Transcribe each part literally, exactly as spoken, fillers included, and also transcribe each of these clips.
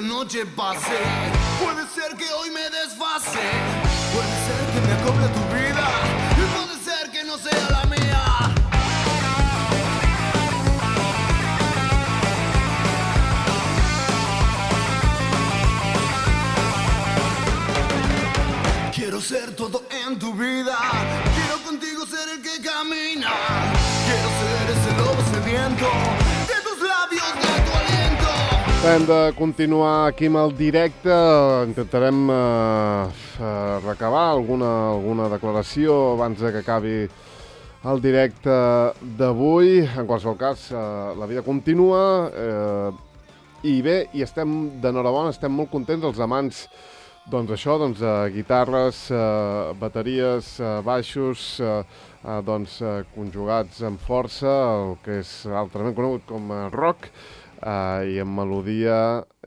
noche pase. Puede ser que hoy me desfase, puede ser que me acople a tu vida, y puede ser que no sea la mía. Quiero ser todo en tu vida, quiero contigo ser el que camina, quiero ser ese lobo sediento de tus labios, de tu aliento. Hem de continuar aquí amb el directe, intentarem eh, eh, recabar alguna, alguna declaració abans de que acabi el directe d'avui. En qualsevol cas, eh, la vida continua eh, i bé, i estem d'enhorabona, estem molt contents els amants. Doncs això, doncs, eh, guitarres, eh, bateries, eh, baixos, eh, eh, doncs, eh, conjugats amb força, el que és altrament conegut com a rock, eh, i amb melodia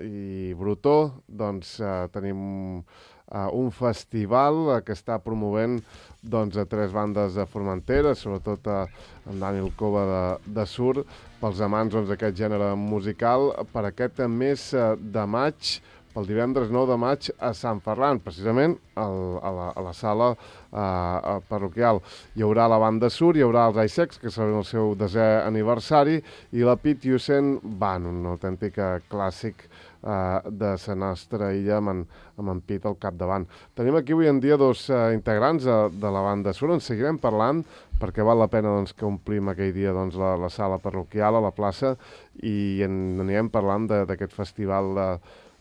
i brutó, doncs eh, tenim eh, un festival eh, que està promovent doncs, a tres bandes de Formentera, sobretot eh, en Daniel Cova de, de Sur, pels amants doncs, d'aquest gènere musical, per aquest mes eh, de maig, el divendres nou de maig a Sant Ferran, precisament al, a, la, a la sala uh, parroquial. Hi haurà la banda Sur, hi haurà els Isex, que celebren el seu desè aniversari, i la Pit Yusen Band, un autèntic clàssic uh, de la nostra illa amb en, amb en Pit al capdavant. Tenim aquí avui en dia dos uh, integrants uh, de la banda Sur, en seguirem parlant, perquè val la pena doncs, que omplim aquell dia doncs, la, la sala parroquial a la plaça i en anirem parlant d'aquest festival de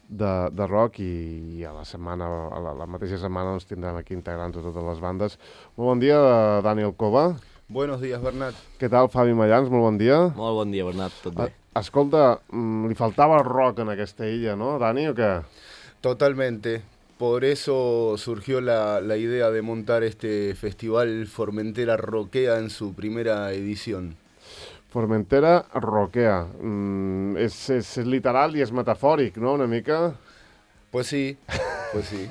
De, de rock i, i a la setmana, a la, la mateixa setmana doncs, tindrem aquí integrants de totes les bandes. Molt bon dia, Daniel Cova. Buenos días, Bernat. Què tal, Fabi Mallans? Molt bon dia. Molt bon dia, Bernat, tot bé. Escolta, li faltava rock en aquesta illa, no, Dani, o què? Totalmente. Por eso surgió la, la idea de montar este festival Formentera Rockea en su primera edición. Formentera rockea. Mm, és, és literal i és metafòric, no?, una mica. Pues sí, pues sí,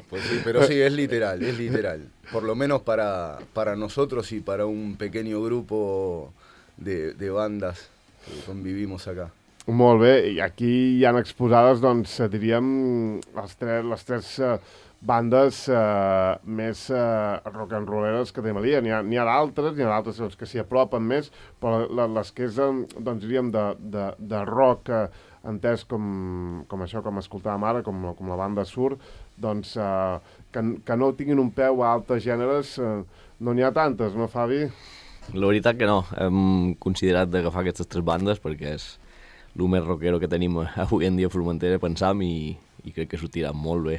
pues sí, pero sí, es literal, es literal. Por lo menos para, para nosotros y para un pequeño grupo de, de bandas que convivimos acá. Molt bé, i aquí hi han exposades, doncs, diríem, les tres, les tres uh, bandes uh, més uh, rock and rolleres que tenim a l'illa. N'hi ha, n'hi ha d'altres, n'hi ha d'altres doncs, que s'hi apropen més, però les que és, doncs, diríem, de, de, de rock uh, entès com, com això, com escoltàvem ara, com, com la banda Sur, doncs, uh, que, que no tinguin un peu a altres gèneres, uh, no n'hi ha tantes, no, Fabi? La veritat que no. Hem considerat d'agafar aquestes tres bandes perquè és el més rockero que tenim avui en dia a Formentera, pensam, i, i crec que sortirà molt bé.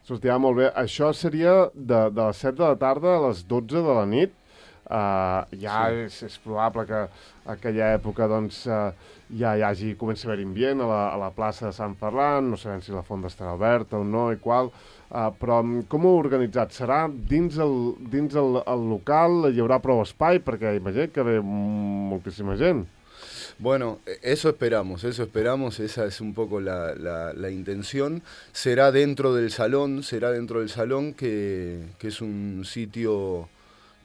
Sortirà molt bé. Això seria de, de les set de la tarda a les dotze de la nit. Uh, ja sí. és, és probable que a aquella època doncs, uh, ja hi hagi, comença a haver ambient a la, a la plaça de Sant Ferran, no sabem si la font estarà oberta o no i qual, uh, però com ho heu organitzat? Serà dins el, dins el, el local, hi haurà prou espai, perquè imagino que ve moltíssima gent. Bueno, eso esperamos, eso esperamos, esa es un poco la, la, la intención. Será dentro del salón, será dentro del salón, que, que es un sitio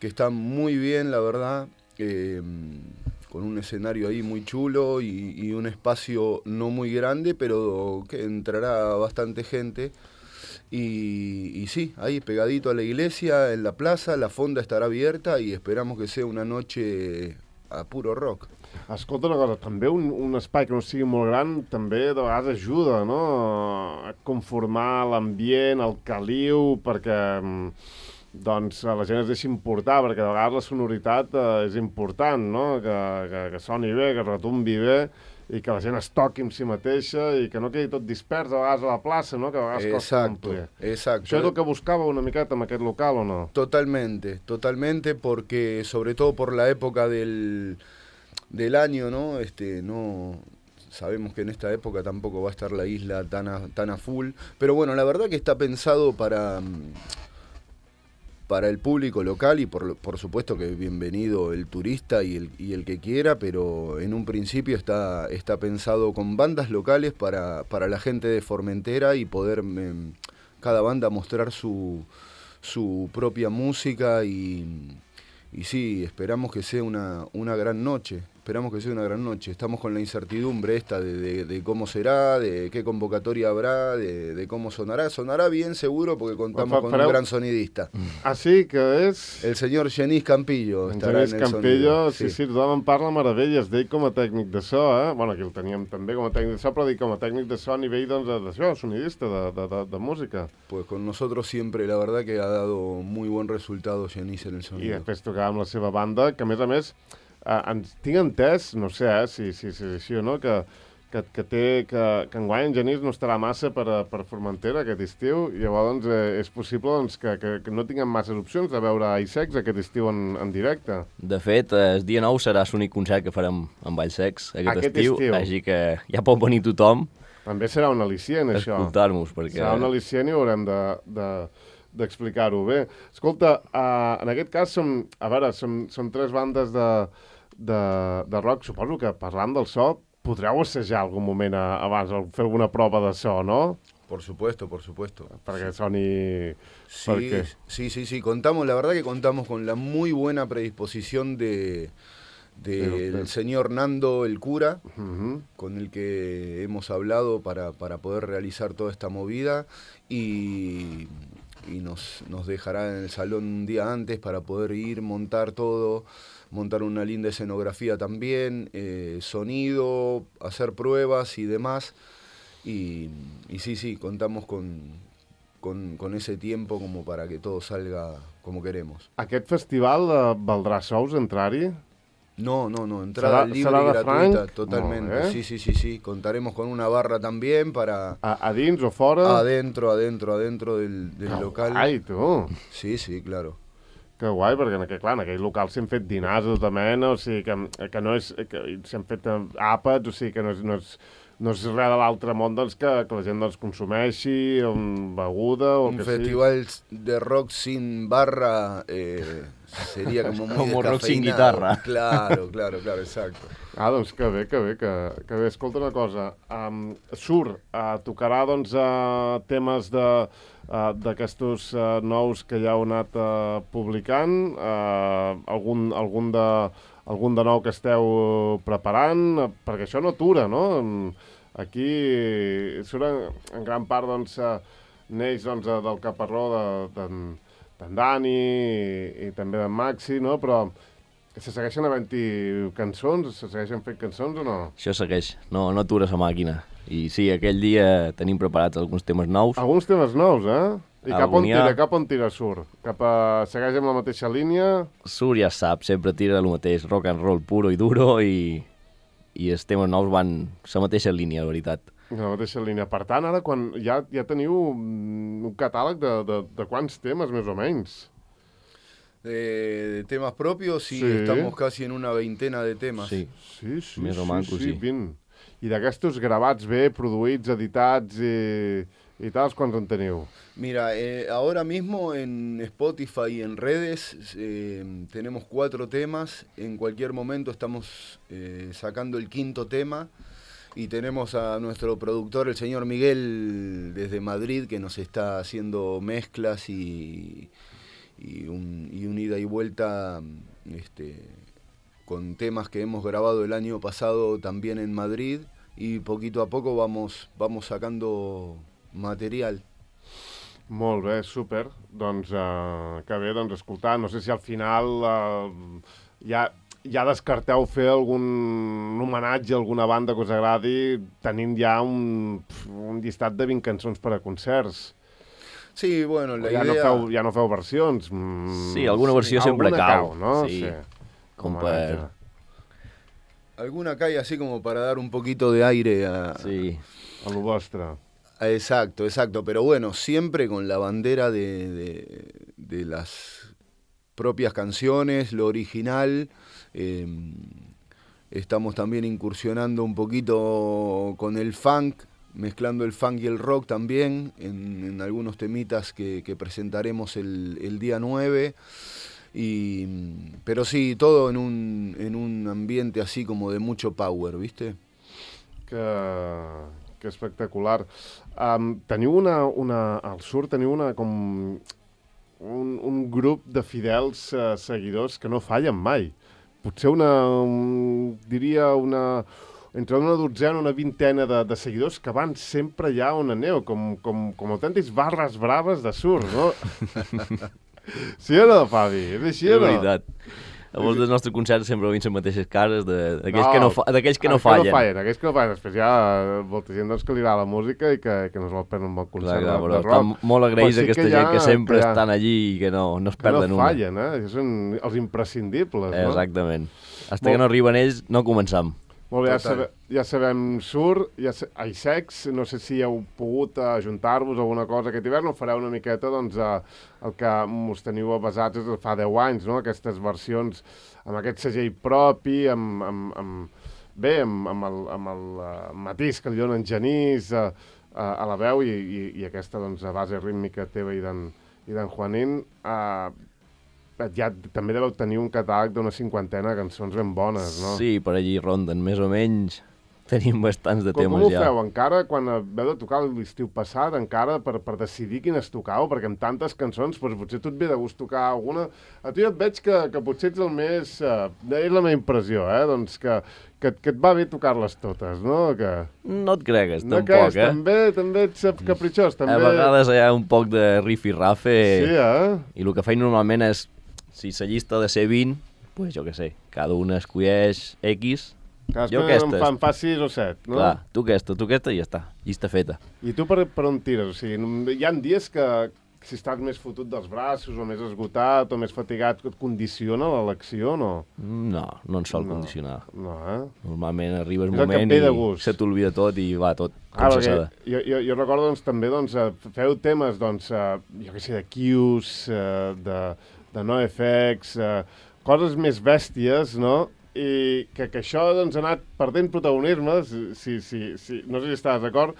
que está muy bien, la verdad, eh, con un escenario ahí muy chulo y, y un espacio no muy grande, pero que entrará bastante gente. Y, y sí, ahí pegadito a la iglesia, en la plaza, la fonda estarà abierta y esperamos que sea una noche a puro rock. Escolta una cosa, també un, un espai que no sigui molt gran també de vegades ajuda, no?, a conformar l'ambient, el caliu, perquè doncs, la gent es deixi importar, perquè de vegades la sonoritat eh, és important, no?, que, que, que soni bé, que retumbi bé, i que la gent es toqui amb si mateixa i que no quedi tot dispers a vegades a la plaça, no?, que a vegades costa complir. Exacto. Això és el que buscava una miqueta en aquest local, o no? Totalmente, totalmente, porque sobre todo por la época del... del año, ¿no? Este, no sabemos que en esta época tampoco va a estar la isla tan a, tan a full, pero bueno, la verdad que está pensado para, para el público local y por, por supuesto que bienvenido el turista y el, y el que quiera, pero en un principio está, está pensado con bandas locales para, para la gente de Formentera y poder eh, cada banda mostrar su, su propia música y... Y sí, esperamos que sea una, una gran noche. esperamos que sea una gran noche. Estamos con la incertidumbre esta de, de, de cómo será, de qué convocatoria habrá, de, de cómo sonará. Sonará bien seguro porque contamos con un gran sonidista. Ah, sí, que és... El senyor Genís Campillo En estarà Genís en el Campillo, sonido. sí, sí, tothom en parla meravelles d'ell com a tècnic de so, eh? Bueno, aquí el teníem també com a tècnic de so, però dic com a tècnic de so a nivell, doncs, d'això, sonidista, de, de, de, de música. Pues con nosotros siempre, la verdad que ha dado muy buen resultado Genís en el sonido. I després tocar amb la seva banda, que a més a més, eh, ens, tinc entès, no sé eh, si, si, si és així o no, que, que, que, té, que, que enguany en Genís no estarà massa per, a, per Formentera aquest estiu, i llavors eh, és possible doncs, que, que, que no tinguem masses opcions de veure Vallsecs aquest estiu en, en directe. De fet, el dia nou serà l'únic concert que farem amb Vallsecs aquest, Aquest estiu, estiu. així que ja pot venir tothom També serà un al·licient, a això. escoltar-nos, perquè... Serà un al·licient i haurem de, de, d'explicar-ho bé. Escolta, uh, en aquest cas, som, a veure, som, som tres bandes de, de, de rock. Suposo que parlant del so, podreu assajar algun moment a, abans, fer alguna prova de so, no? Por supuesto, por supuesto. Perquè soni... Sí, perquè... sí, sí, sí, contamos, la verdad que contamos con la muy buena predisposición de... del Pero, señor Nando el cura, uh-huh. con el que hemos hablado para, para poder realizar toda esta movida y, y nos, nos dejará en el salón un día antes para poder ir, montar todo, montar una linda escenografía también, eh, sonido, hacer pruebas y demás. Y, y sí, sí, contamos con, con, con ese tiempo como para que todo salga como queremos. Aquest festival eh, valdrà sous entrar-hi? No, no, no, entrada ¿Será, libre será y de gratuita, franc? totalmente. No, ¿eh? Sí, sí, sí, sí. Contaremos con una barra también para... A, a dins o fora? Adentro, adentro, adentro del, del que local. Guai, tu! Sí, sí, claro. Que guai, perquè en aquell, clar, en aquell local s'han fet dinars de tota mena, o sigui, que, que no és... que s'han fet àpats, o sigui, que no és, no és, no és res de l'altre món, doncs, que, que la gent doncs, consumeixi, um, beguda o Un que festival sí. de rock sin barra... Eh, sería como muy Como rock sin descafeinado. guitarra. Claro, claro, claro, exacto. Ah, doncs que bé, que bé, que, que bé. Escolta una cosa, um, surt, uh, tocarà doncs uh, temes de uh, d'aquestos uh, nous que ja heu anat uh, publicant, uh, algun, algun, de, algun de nou que esteu preparant, uh, perquè això no atura, no? Aquí surt en, en gran part, doncs, uh, neix doncs, uh, del caparró de, de, d'en Dani i, i també d'en Maxi, no? Però se segueixen havent-hi cançons? Se segueixen fent cançons o no? Això segueix, no, no atura la màquina. I sí, aquell dia tenim preparats alguns temes nous. Alguns temes nous, eh? I cap on Algun tira, ha... cap on tira surt? Cap a... Segueix amb la mateixa línia? Surt, ja sap, sempre tira el mateix rock and roll puro i duro i, i els temes nous van la mateixa línia, la veritat. La mateixa línia. Per tant, ara quan ja, ja teniu un catàleg de, de, de quants temes, més o menys? De, de temas propios, sí, Sí. estamos casi en una veintena de temas. Sí. Sí, sí, Més o sí, manco, sí, sí. vint. I d'aquestos gravats bé, produïts, editats i, i tals, quants en teniu? Mira, eh, ahora mismo en Spotify y en redes eh, tenemos cuatro temas. En cualquier momento estamos eh, sacando el quinto tema. Y tenemos a nuestro productor, el señor Miguel, desde Madrid, que nos está haciendo mezclas y, y, un, y un ida y vuelta este, con temas que hemos grabado el año pasado también en Madrid. Y poquito a poco vamos, vamos sacando material. Molt bé, súper. Doncs uh, que bé, doncs escoltar, no sé si al final uh, ja, ja descarteu fer algun homenatge a alguna banda que us agradi, tenint ja un, un llistat de vint cançons per a concerts. Sí, bueno, la ja, idea... no feu, ja no feu versions. Mm, Sí, alguna versió sempre alguna cau. cau, no? Sí, com homenatge. per... Alguna cae así como para dar un poquito de aire a... Sí. A lo vostre. Exacto, exacto, pero bueno, siempre con la bandera de, de, de las propias canciones, lo original. Eh, estamos también incursionando un poquito con el funk, mezclando el funk y el rock también, en, en algunos temitas que, que presentaremos el, el día nueve. Y, pero sí, todo en un, en un ambiente así como de mucho power, ¿viste? Que, que espectacular. Um, teniu una, una... Al sur teniu una com... Un, un grup de fidels uh, seguidors que no fallen mai. potser una, un, diria una, entre una dotzena, una vintena de, de seguidors que van sempre allà on aneu, com, com, com autèntics barres braves de surf, no? Sí o no, Fabi? És així o no? És veritat. A molts dels nostres concerts sempre veiem les mateixes cares d'aquells No, que, no fa, d'aquells que no aquells fallen. Que no fallen. Aquells que no fallen. Després hi ha molta gent doncs, que li agrada la música i que, que no es vol perdre un bon concert Clar, clar, de, però de rock. estan molt agraïts sí aquesta que gent ha, que sempre que ha, estan allí i que no, no es que perden no una. fallen, eh? Són els imprescindibles, no? Exactament. Hasta Molt... que no arriben ells, no començam. Molt bé, ja, sabe, ja sabem Sur, ja sa... ai, Sex, no sé si heu pogut ajuntar-vos a alguna cosa aquest hivern, o fareu una miqueta, doncs, a, el que us teniu basats és fa deu anys, no? Aquestes versions amb aquest segell propi, amb, amb, amb, bé, amb, amb el, amb el uh, matís que li donen Genís uh, uh, a la veu i, i, i aquesta doncs, base rítmica teva i d'en Juanín. Uh, ja també deveu tenir un catàleg d'una cinquantena de cançons ben bones, no? Sí, per allí ronden, més o menys. Tenim bastants de com, temes com ho ja. feu? Encara, quan veu de tocar l'estiu passat, encara per, per decidir quines tocau? Perquè amb tantes cançons, doncs, potser tu et ve de gust tocar alguna. A tu ja et veig que, que potser ets el més... Uh, és la meva impressió, eh? Doncs que, que, que et va bé tocar-les totes, no? Que... No et cregues, no tampoc, creus, eh? També, també ets capritxós, també... A vegades hi ha un poc de riff i rafe. Sí, eh? I el que faig normalment és, si la llista ha de ser vint, pues jo què sé, cada una escolleix X. Cadascun jo aquesta. En fa, en fa sis o set, no? Clar, tu aquesta, tu aquesta i ja està, llista feta. I tu per, per on tires? O sigui, hi ha dies que si estàs més fotut dels braços o més esgotat o més fatigat, et condiciona l'elecció, no? No, no ens sol no, condicionar. No, eh? Normalment arribes un és moment i se t'olvida tot i va tot com ah, se s'ha de. Jo, jo, jo recordo doncs, també, doncs, feu temes, doncs, jo què sé, de Kius, de, de NoFX, coses més bèsties, no? I que, que això doncs, ha anat perdent protagonisme, si, si, si, no sé si estàs d'acord,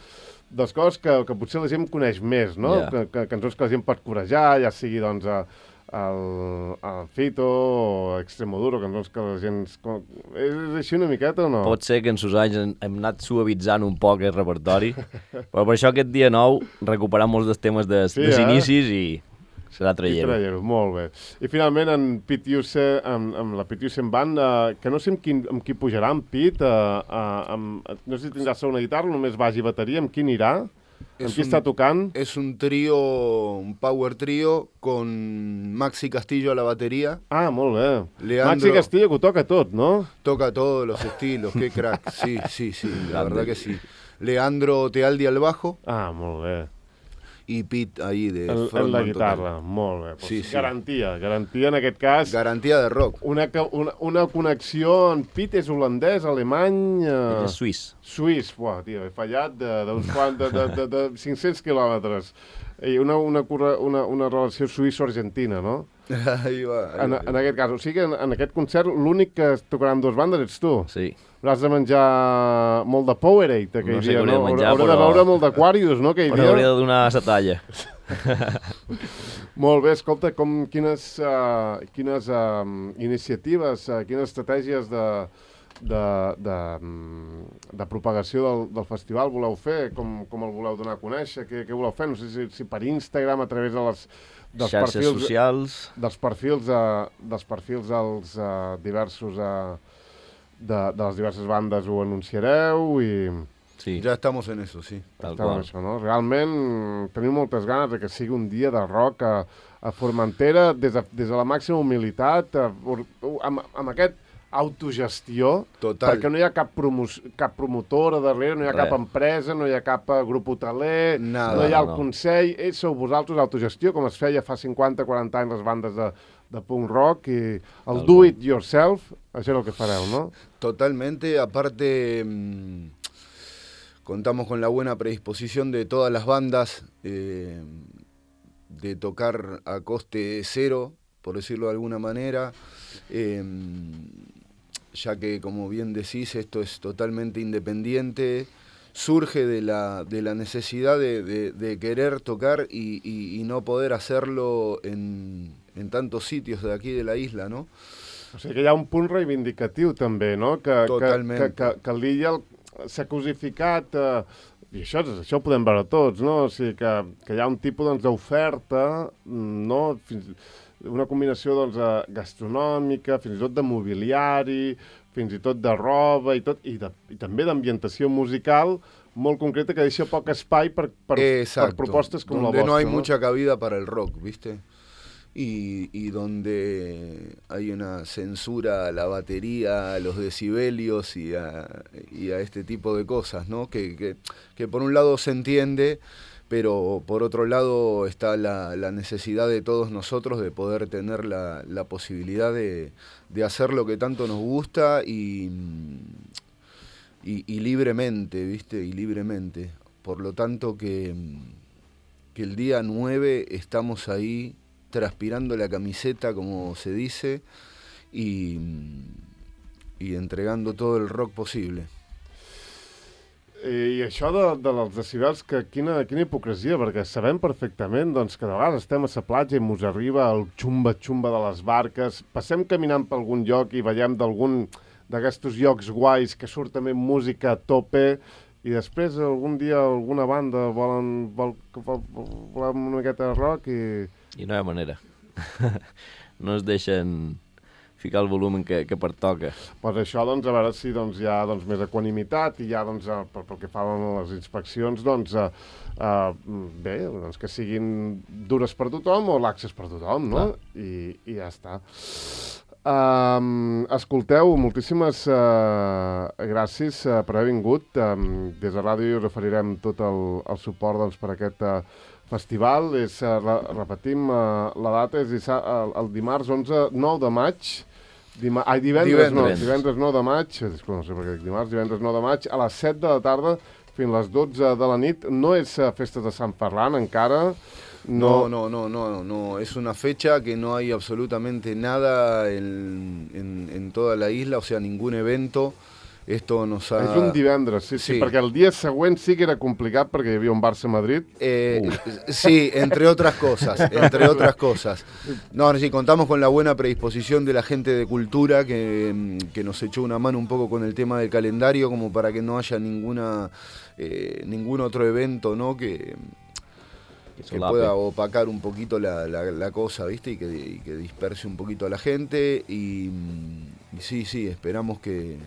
dels coses que, que potser la gent coneix més, no? Yeah. Que, que, cançons que la gent pot corejar, ja sigui doncs, a, el, el Fito o Extremoduro, cançons que la gent... És així una miqueta o no? Pot ser que en sus anys hem, hem anat suavitzant un poc el repertori, però per això aquest dia nou recuperar molts dels temes de, sí, dels eh? inicis i serà traient-ho. Traient-ho, molt bé. I finalment en Pete Yuse, amb, amb la Pete Yuse Band, uh, que no sé amb, quin, amb qui pujarà en Pete, uh, uh, amb, no sé si tindrà una guitarra, només baix i bateria, amb qui anirà? Amb qui un, està tocant? És un trío, un power trío, con Maxi Castillo a la batería. Ah, molt bé. Leandro, Maxi Castillo que ho toca tot, no? Toca todos los estilos, qué crack. Sí, sí, sí, la verdad que sí. Leandro Tealdi al bajo. Ah, molt bé. I Pete ahí de el, frontman la guitarra, total. Molt bé. Pues sí, sí. Garantia, garantia en aquest cas. Garantia de rock. Una, una, una connexió, en Pete és holandès, alemany... Uh, és suís. Suís, buah, tio, he fallat d'uns quants, de, de, de, de cinc-cents quilòmetres. I una, una, una, una relació suïsso-argentina, no? Ahí va. Ahí en, va. en aquest cas, o sigui que en, en aquest concert l'únic que tocarà amb dues bandes ets tu. Sí. Hauràs de menjar molt de Powerade aquell no sé dia, no? De menjar, Haurà però... de beure molt d'Aquarius, no, aquell però dia? Però hauria de donar la talla. Molt bé, escolta, com, quines, uh, quines uh, iniciatives, uh, quines estratègies de, de, de, de propagació del, del festival voleu fer? Com, com el voleu donar a conèixer? Què, què voleu fer? No sé si, si per Instagram, a través de les... dels xarxes perfils, socials. Dels perfils, uh, dels perfils dels uh, diversos... Uh, De, de les diverses bandes ho anunciareu i... Sí. Ja estamos en eso, sí. Tal Esteu en això, no? Realment tenim moltes ganes de que sigui un dia de rock a, a Formentera des de, des de la màxima humilitat, a, amb, amb aquest autogestió, Total. perquè no hi ha cap, cap promotora darrere, no hi ha Res. cap empresa, no hi ha cap grup hoteler, Nada, no hi ha el no, no. consell, ells sou vosaltres autogestió, com es feia fa cinquanta quaranta anys les bandes de, de punk rock, i el do it yourself, això és el que fareu, no? Totalmente, aparte mmm, contamos con la buena predisposición de todas las bandas eh, de tocar a coste cero, por decirlo de alguna manera, eh, ya que, como bien decís, esto es totalmente independiente, surge de la, de la necesidad de, de, de querer tocar y, y, y no poder hacerlo en, en tantos sitios de aquí de la isla, ¿no? O sigui que hi ha un punt reivindicatiu també, no? Que, Totalment. Que, que, que, que l'illa s'ha cosificat, eh, i això, això ho podem veure tots, no? O sigui, que, que hi ha un tipus doncs, d'oferta, no? Fins, una combinació doncs, gastronòmica, fins i tot de mobiliari, fins i tot de roba i, tot, i, de, i també d'ambientació musical molt concreta que deixa poc espai per, per, per propostes com donde la vostra. No hay ¿no? mucha cabida para el rock, ¿viste? Y, y donde hay una censura a la batería, a los decibelios y a, y a este tipo de cosas, ¿no? Que, que, que por un lado se entiende, pero por otro lado está la, la necesidad de todos nosotros de poder tener la, la posibilidad de, de hacer lo que tanto nos gusta y... Y, y libremente, ¿viste? Y libremente. Por lo tanto que, que el día nueve estamos ahí transpirando la camiseta, como se dice, y, y entregando todo el rock posible. I això de, de dels decibels, que quina, quina hipocresia, perquè sabem perfectament doncs, que de vegades estem a la platja i mos arriba el xumba-xumba de les barques, passem caminant per algun lloc i veiem d'algun... d'aquests llocs guais que surt també música a tope i després algun dia alguna banda volen, vol, vol, vol una miqueta de rock i... I no hi ha manera. No es deixen ficar el volum que, que pertoca. Pues això, doncs, a veure si doncs, hi ha doncs, més equanimitat i ja, doncs, pel, pel que fa a les inspeccions, doncs, uh, uh, bé, doncs, que siguin dures per tothom o laxes per tothom, no? I, I ja està. Um, escolteu, moltíssimes uh, gràcies uh, per haver vingut. Um, des de ràdio us oferirem tot el, el suport doncs, per aquest uh, festival. És, uh, re repetim, uh, la data és uh, el dimarts onze, nou de maig. Dima Ai, divendres, divendres. no, divendres nou de maig, disculpa, no sé per què dic dimarts, divendres nou de maig, a les set de la tarda fins a les dotze de la nit. No és uh, festa de Sant Ferran encara. No, no, no, no, no, no, es una fecha que no hay absolutamente nada en, en, en toda la isla, o sea, ningún evento. Esto nos ha... És un divendres, sí, sí, sí, perquè el dia següent sí que era complicat perquè hi havia un Barça-Madrid. Eh, sí, entre otras cosas, entre otras cosas. No, sí, contamos con la buena predisposición de la gente de cultura que, que nos echó una mano un poco con el tema del calendario como para que no haya ninguna, eh, ningún otro evento, ¿no? Que... que pueda opacar un poquito la, la, la cosa, ¿viste? Y que, y que disperse un poquito a la gente. Y, y sí, sí, esperamos que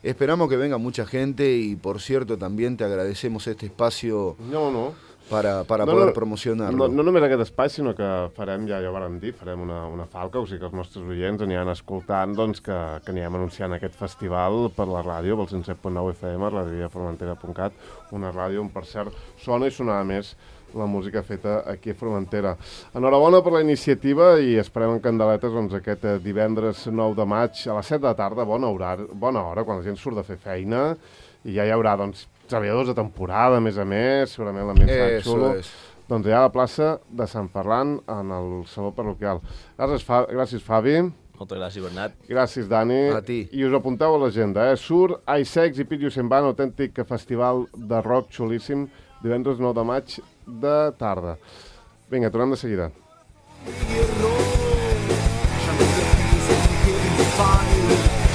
esperamos que venga mucha gente. Y por cierto, también te agradecemos este espacio no, no. para, para no, poder no, promocionarlo. No, no només aquest espai, sinó que farem, ja, ja ho vam dir, farem una, una falca, o sigui que els nostres oients aniran escoltant doncs, que, que anirem anunciant aquest festival per la ràdio, pel cent set punt nou F M, ràdio formentera punt cat, una ràdio on, per cert, sona i sonava més la música feta aquí a Formentera. Enhorabona per la iniciativa i esperem en candeletes doncs, aquest divendres nou de maig a les set de la tarda, bona hora, bona hora, quan la gent surt de fer feina i ja hi haurà doncs, treballadors de temporada, a més a més, segurament l'ambient serà xulo. És. Doncs ja a la plaça de Sant Ferran, en el saló parroquial. Gràcies, Fa gràcies Fabi. Moltes gràcies, Bernat. Gràcies, Dani. A ti. I us apunteu a l'agenda, eh? Sur, Isex i Pitio Semban, autèntic festival de rock xulíssim, divendres nou de maig de tarda. Vinga, tornem de seguida.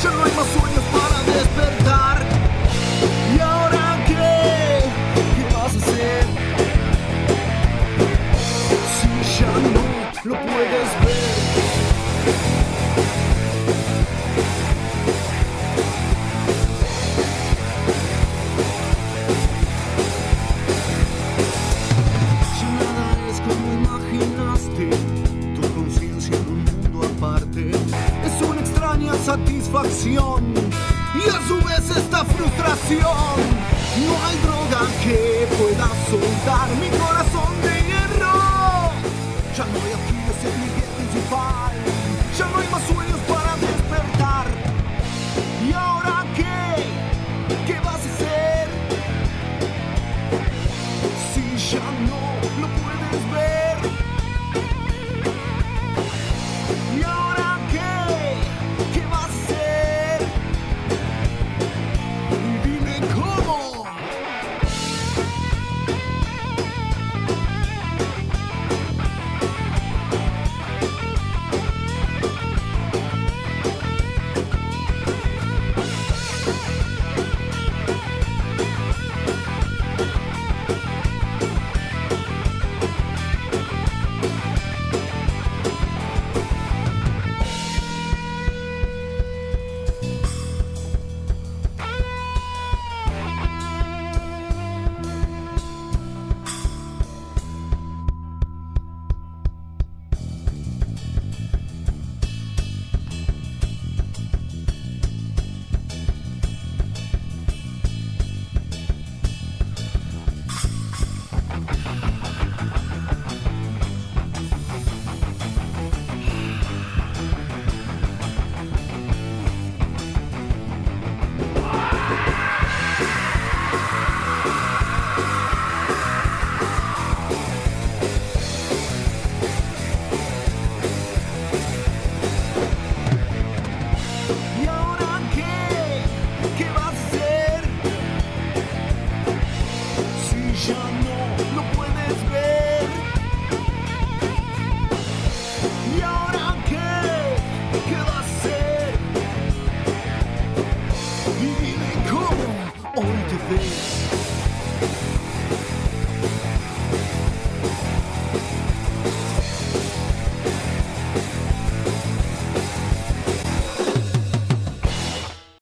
Ya no hay más sueños para despertar. ¿Y ahora qué? ¿Qué vas a hacer? Si ya no lo puedes ver. Ya nada es como imaginaste. Tu conciencia en un mundo aparte es una extraña satisfacción y a su vez esta frustración. No hay droga que pueda soltar mi corazón de hierro. Ya no hay aquí ese cliente principal.